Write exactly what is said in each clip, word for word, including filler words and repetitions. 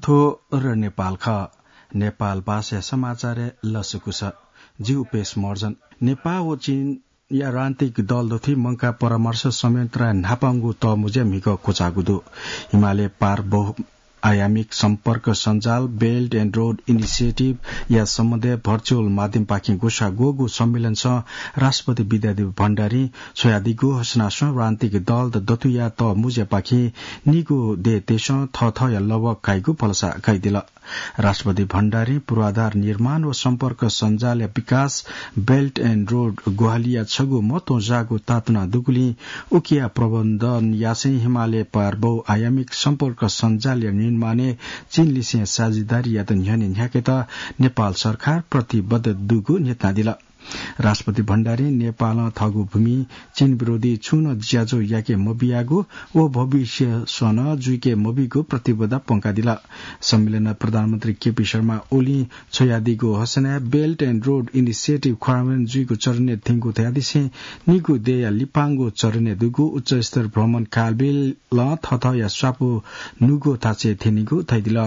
थ्व र नेपाल खः। नेपाल भाषा समाचारय् लसकुस। जि उपेश महर्जन। नेपाः व चीनया राजनीतिक दल दथुइ मंकाः परामर्श संयन्त्रया न्हापांगु तःमुँज्या म्हिगः क्वचाःगु दु। हिमालय पार बहुआयामिक सम्पर्क सञ्जाल, Belt and Road Initiative या सम्बन्धय् virtual माध्यमपाखें ग्वसाः ग्वःगु सम्मेलनसं राष्ट्रपति विद्यादेवी भण्डारीं छ्वयादीगु हसेनासं राजनीतिक दल दथुया तःमुँज्यापाखें निगू देय् देशं थःथःया लवः काइगु भलसा कयादिल। राष्ट्रपति भण्डारीं पूर्वाधार निर्माण व सम्पर्क सञ्जालया विकास, Belt and Road ग्वाहालिया छगू मत्वंजाःगु तातुना दुगुलिं उकिया प्रबन्धन यासें हिमालय पार बहुआयामिक सम्पर्क सञ्जालया निर्माणय् चीनलिसें साझेदारीयात न्ह्यःने न्ह्याकेत नेपाल सरकार प्रतिबद्ध दुगु न्ह्यथनादिल। राष्ट्रपति भण्डारीं नेपालं थःगु भूमिइ चीन विरोधी छुं नं ज्याझ्वः याके मबियागु व भविष्यसं नं जुइके मबीगु प्रतिबद्धता प्वंकादिल। सम्मेलनय् प्रधानमन्त्री केपी शर्मा ओलीं छ्वयादीगु हसेनाय् Belt and Road Initiative कार्यान्वयन जुइगु चरणय् थ्यंगु धयादिसें निगू देय्‌या लिपांगु चरणय् दुगु उच्चस्तर भ्रमण कालबेलं थःथःया स्वापू नुगू थासय् थ्यनीगु धयादिल।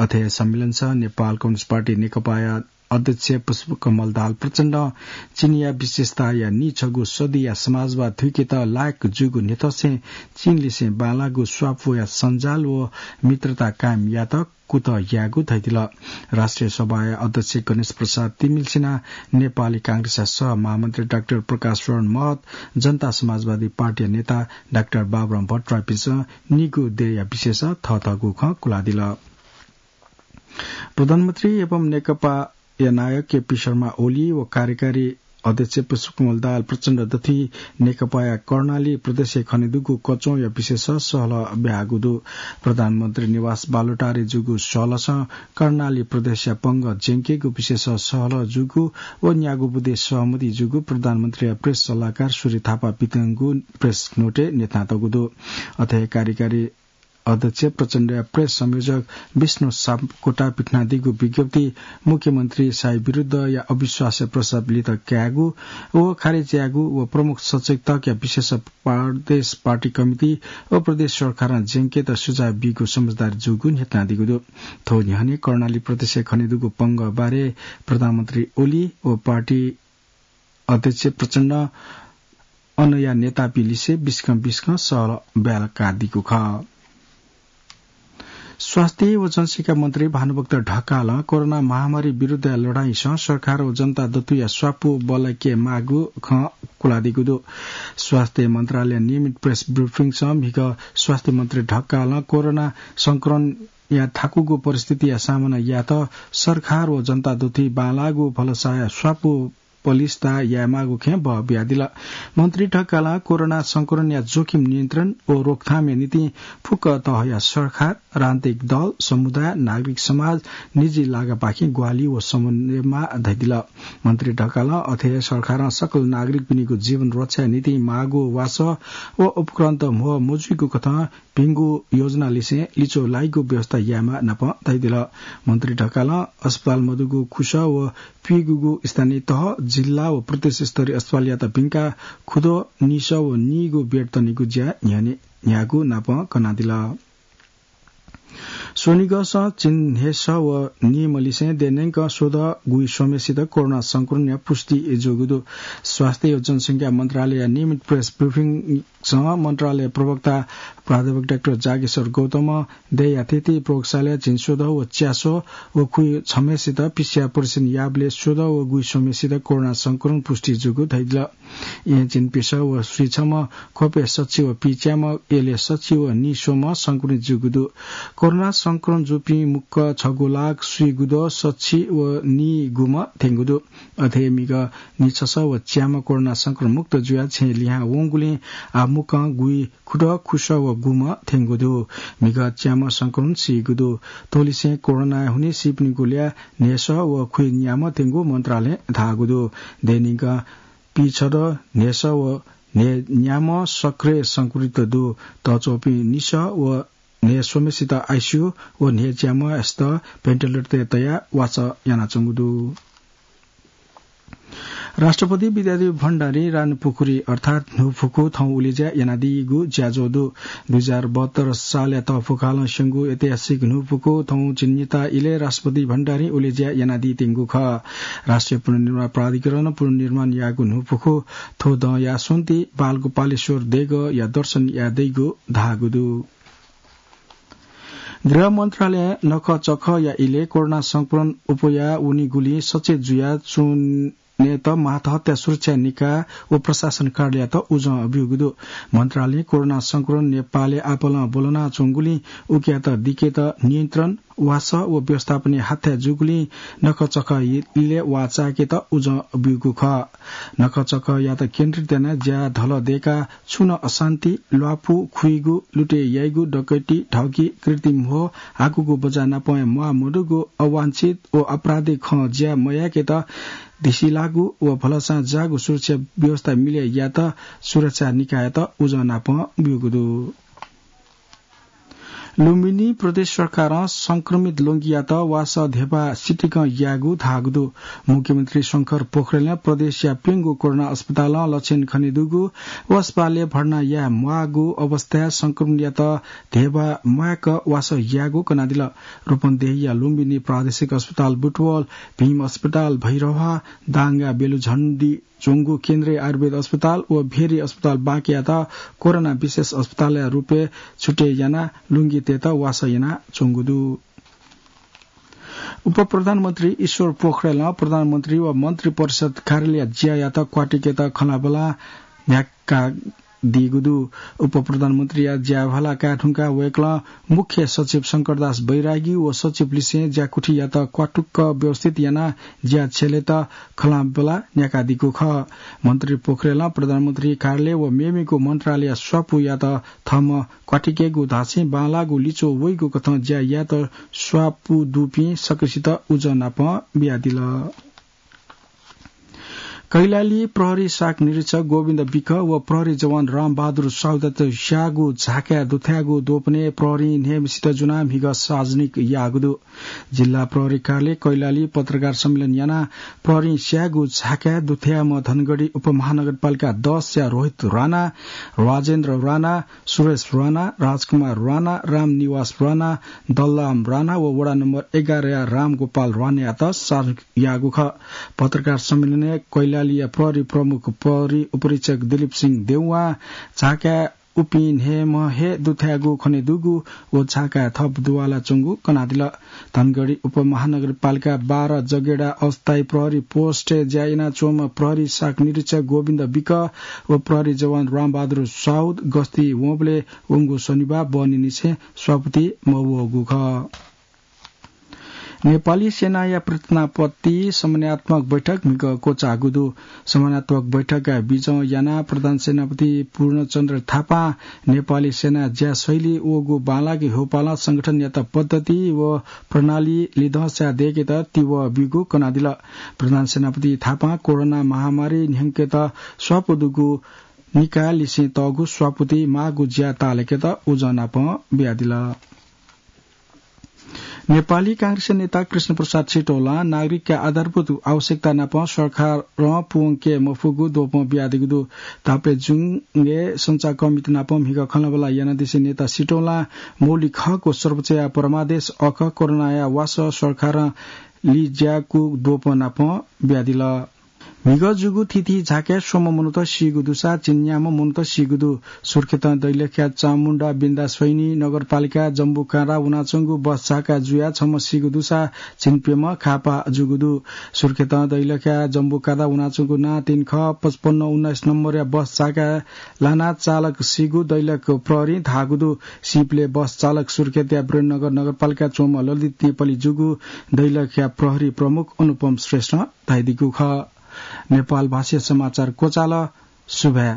अथे सम्मेलनसं नेपाल कम्युनिस्ट पार्टी नेकपाया अध्यक्ष पुष्पकमल दाहाल प्रचण्डं चीनया विशेषताया नीछगू सदीया समाजवाद थुइकेत लायक जूगु न्ह्यथंसें चीनलिसें बांलाःगु स्वापूया सञ्जाल व मित्रता कायम यायेत कुतः यायेगु धयादिल। राष्ट्रिय सभाया अध्यक्ष गणेश प्रसाद तिमिल्सिना, नेपाली कांग्रेसया सह महामन्त्री डाक्टर प्रकाश शरण महत, जनता समाजवादी पार्टीया नेता डाक्टर बाबुराम भट्टराईपिन्सं निगू देय्‌या विषयसं थःथःगु खँ कुलादिल। प्रधानमन्त्री एवं नेकपाया नायक केपी शर्मा ओली व कार्यकारी अध्यक्ष पुष्पकमल दाहाल प्रचण्ड दथुइ नेकपाया कर्णाली प्रदेशय् खनेदुगु कच्वंया विषयसं सहलह ब्याहागु दु। प्रधानमन्त्री निवास बालुटारय् जूगु सहलहसं कर्णाली प्रदेशया पंगः ज्यंकेगु विषयसं सहलह जूगु व न्यागू बुँदे सहमति जूगु प्रधानमन्त्रीया प्रेस सल्लाहकार सूर्य थापां पिथंगु प्रेस नोटय् न्ह्यथनातःगु दु। अथे कार्यकारी अध्यक्ष प्रचण्डया प्रेस संयोजक विष्णु सापकोटां पिथनादीगु विज्ञप्तिइ मुख्यमन्त्री शाही विरुद्धया अविश्वासया प्रस्ताव लित कायेगु व खारेज यायेगु व प्रमुख सचेतकया विषयसं प्रदेश पार्टी कमिटी व प्रदेश सरकारं ज्यंकेत सुझाव बीगु समझदारी जूगु न्ह्यथनादीगु दु। थ्व न्ह्यःने कर्णाली प्रदेशय् खनेदुगु पंगः बारे प्रधानमन्त्री ओली व पार्टी अध्यक्ष प्रचण्डं अनया नेतापिं लिसे बिस्कं बिस्कं सहलह ब्यालकादीगु खः। स्वास्थ्य व जनशिक्षा मन्त्री भानुभक्त ढकालं कोरोना महामारी विरुद्धया लडाइँसं सरकार व जनता दथुया स्वापू बल्लाके माःगु खँ कुलादीगु दु। स्वास्थ्य मन्त्रालयया नियमित प्रेस ब्रिफिङसं म्हिगः स्वास्थ्य मन्त्री ढकालं कोरोना संक्रमणया थाकुगु परिस्थितिया सामना यायेत सरकार व जनता दथुइ बांलाःगु भलसाया स्वापू पलिस्था यायेमाःगु खँय् बः बियादिल। मन्त्री ढकालं कोरोना संक्रमणया जोखिम नियन्त्रण व रोकथामया निंतिं फुक्क तहया सरकार, राजनीतिक दल, समुदाय, नागरिक समाज, निजी लागापाखें ग्वाहालि व समन्वय माः धयादिल। मन्त्री ढकालं अथे हे सरकारं सकल नागरिकपिनिगु जीवन रक्षाया निंतिं माःगु वासः व उपकरणत म्हो मजुइगु कथं भिंगु योजना लिसें लिच्वः लाइगु व्यवस्था यायेमाः नापं धयादिल। मन्त्री ढकालं अस्पताल मदुगु खुसः व पिइगूगु स्थानीय तह, जिल्ला व प्रदेश स्तरीय अस्पतालयात भिंकाः खुद्वः निसः व नीगू बेड तनेगु ज्या न्ह्यःने न्ह्याःगु नापं कनादिल। स्वनिगःसं झिंन्हय्‌सः व नीम्ह लिसें देय्‌न्यंक स्वदँ गुइस्वम्हेसित कोरोना संक्रमणया पुष्टि जूगु दु। स्वास्थ्य व जनसंख्या मन्त्रालयया नियमित प्रेस ब्रिफिङसं मन्त्रालय प्रवक्ता प्राध्यापक डाक्टर जागेश्वर गौतमं देय्‌या थीथी प्रयोगशालाय् झिंस्वदँ व च्यास्वः व खुइछम्हेसित पीसीआर परीक्षण याःबलय् स्वदँ व गुइस्वम्हेसित कोरोना संक्रमण पुष्टि जूगु धयादिल। येँ झिंप्यसः व स्वीछम्ह, ख्वपय् सछि व पीच्याम्ह, यलय् सछि व नीस्वम्ह संक्रमित जूगु दु। कोरोना संक्रमण जूपिं मुक्कं छगू लाख स्वीगुद्वः सछि व नीगुम्ह थ्यंगु दु। अथे हे म्हिगः नीछसः व च्याम्ह कोरोना संक्रमण मुक्त जुयाः छेँय् लिहां वंगुलिं आः मुक्कं गुइखुद्वः खुसः व गुम्ह थ्यंगु दु। म्हिगः च्याम्ह संक्रमण सीगु दु। थ्वलिसें कोरोनाय् हुनिं सीपिनिगु ल्याः न्हय्‌सः व खुइन्याम्ह थ्यंगु मन्त्रालयं धाःगु दु। देय्‌न्यंक पीछदँ, न्हय्‌सः व न्हय्‌न्याम्ह सक्रिय संक्रमित दु। तःच्वंपिं निसः व न्हय्‌स्वम्हेसित आइसियू व न्हय्‌च्याम्हयात भेन्टिलेटरय् तयाः वाचः यानाच्वंगु दु। राष्ट्रपति विद्यादेवी भण्डारी रानीपुखुरी अर्थात् न्हूफुकु थौं उलेज्या यानादीगु ज्याझ्वः दु। दुई हजार बहत्तर सालया तःफुकालं स्यंगु ऐतिहासिक न्हूफुकु थौं झिंनिता इलय् राष्ट्रपति भण्डारी उलेज्या यानादीत्यंगु खः। राष्ट्रिय पुनर्निर्माण प्राधिकरणं पुनर्निर्माण याःगु न्हूफुकु थ्व दँया स्वन्ति बालगोपालेश्वर देगःया दर्शन याये दइगु धाःगु दु। गृह मन्त्रालयं नखःचखःया इलय् कोरोना संक्रमण अप्वया वनीगुलिं सचेत जुया च्वनेत मातहतया सुरक्षा निकाय व प्रशासन कार्यालययात उजं ब्यूगु दु। मन्त्रालयं कोरोना संक्रमण नेपालय् आपालं ब्वलनाच्वंगुलिं उकियात दिकेत नियन्त्रण, वासः व व्यवस्थापनय् हाथाय् जूगुलिं नखःचखः इलय् वाः चाय्‌केत उजं ब्यूगु खः। नखःचखःयात केन्द्रित यानाः ज्या धलः दय्‌काः छुं नं अशान्ति, ल्वापु, खुइगु, लुटे याइगु, डकैती, ठगी, कृत्रिम ह्वः, हाकुगु बज्या नापं म्वाः मदुगु, अवांछित व आपराधिक खँ ज्या मयाय्‌केत धिसिलाःगु व भलसां जाःगु सुरक्षा व्यवस्था मिले यायेत सुरक्षा निकाययात उजं नापं ब्यूगु दु। लुम्बिनी प्रदेश सरकारं संक्रमित ल्वंगियात वासः ध्यबा सितिकं यायेगु धाःगु दु। मुख्यमन्त्री शंकर पोखरेलं प्रदेशया प्यंगू कोरोना अस्पतालं लक्षण खनेदुगु व अस्पतालय् भर्ना याये म्वाःगु अवस्थाय् संक्रमितयात ध्यबा म्वायेक वासः यायेगु कनादिल। रूपन्देहीया लुम्बिनी प्रादेशिक अस्पताल, बुटवल, भीम अस्पताल, भैरहवा, दाङया बेलुझन्डी च्वंगु केन्द्रीय आयुर्वेद अस्पताल व भेरी अस्पताल बाँकेयात कोरोना विशेष अस्पतालया रूपय् छुट्टै यानाः ल्वंगितय्‌त वासः यानाच्वंगु दु। उपप्रधानमन्त्री ईश्वर पोखरेलं प्रधानमन्त्री व मन्त्री परिषद कार्यालयया ज्यायात क्वातुकेत खँल्हाबल्हा न्ह्याकादीगु दु। उपप्रधानमन्त्रीया ज्या भाला काये धुंकाः वय्‌कलं मुख्य सचिव शंकरदास बैरागी व सचिव लिसें ज्याकुथियात क्वातुक व्यवस्थित यानाः ज्या छ्यलेत खँल्हाबल्हा न्ह्याकादीगु खः। मन्त्री पोखरेलं प्रधानमन्त्री कार्यालय व मेमेगु मन्त्रालयया स्वापूयात थःम्हं क्वातुकेगु धासें बांलाःगु लिच्वः वइगु कथं ज्या यायेत स्वापू दुपिं सकसित उजं नापं बियादिल। कैलाली प्रहरी शाखा निरीक्षक गोविन्द विक व प्रहरी जवान रामबहादुर साउदात स्याःगु झाकाय् दुथ्याःगु द्वपनय् प्रहरीं न्हय्‌म्हसित ज्वनाः म्हिगः सार्वजनिक याःगु दु। जिल्ला प्रहरी कार्यालय कैलाली पत्रकार सम्मेलन यानाः प्रहरीं स्याःगु झाकाय् दुथ्याःम्ह धनगढी उपमहानगरपालिका दसया रोहित राणा, राजेन्द्र राणा, सुरेश राणा, राजकुमार राणा, रामनिवास राणा, दल्लाम राणा व वडा नम्बर एघारया रामगोपाल राणायात सार्वजनिक याःगु खः। पत्रकार सम्मेलनय् कैलालीया प्रहरी प्रमुख प्रहरी उपरीक्षक दिलीप सिंह देउवां झाकाय् उपिं न्हय्‌म्ह हे दुथ्याःगु खनेदुगु व झाकाय् थप दुवालाच्वंगु कनादिल। धनगढी उपमहानगरपालिका बाह्र जगेडा अस्थायी प्रहरी पोस्टय् ज्या यानाच्वंम्ह प्रहरी शाखा निरीक्षक गोविन्द विक व प्रहरी जवान रामबहादुर साउद गस्ती वंबलय् वंगु शनिबाः बहनीनिसें स्वापति मवःगु खः। नेपाली सेनाया प्रतिज्ञापत्ति समन्वयात्मक बैठक म्हिगः क्वचाःगु दु। समन्वयात्मक बैठकया बिजं यानाः प्रधान सेनापति पूर्णचन्द्र थापां नेपाली सेना ज्या शैली वःगु बांलाक ह्यःपालं संगठनयात पद्धति व प्रणाली लिधंसा दय्‌केत तिबः ब्यूगु कनादिल। प्रधान सेनापति थापां कोरोना महामारी न्ह्यंकेत स्वापू दुगु निकायलिसें तःगु स्वापुति माःगु ज्या ताःलाकेत उजं नापं बियादिल। नेपाली कांग्रेस नेता कृष्णप्रसाद सिटौलां नागरिकया आधारभूत आवश्यकता नाप सरकारं पूवंके मफुगु द्वपं बियादीगु दु। ताप्लेजुङय् सञ्चारकर्मीत नाप म्हिगः खँल्हाबल्हा यानादिसें नेता सिटौलां मौलिक हक व सर्वोच्चया परमादेश अखः कोरोनाया वासः सरकारं लिज्याःगु द्वपं नाप बियादिल। म्हिगः जूगु थीथी झाकाय् स्वम्ह मनूत सीगु दुसा झिंन्याम्ह मनूत सीगु दु। सुर्खेतं दैलेखया चामुण्डा बिन्दास्वैनी नगरपालिका जम्बुकाँडा वनाच्वंगु बस झाकाय् जुयाः छम्ह सीगु दुसा झिंप्यम्ह घाःपाः जूगु दु। सुर्खेतं दैलेखया जम्बुकाँडा वनाच्वंगु नां तीन ख पचपन्न उन्नाइस नम्बरया बस झाकाय् लानाः चालक सीगु दैलेख प्रहरीं धाःगु दु। सीबलय् बस चालक सुर्खेतया वीरेन्द्रनगर नगरपालिका च्वंम्ह ललित नेपाली जूगु दैलेखया प्रहरी प्रमुख अनुपम श्रेष्ठं धयादीगु खः। नेपाल भाषाया समाचार क्वचाल। सुभाय्।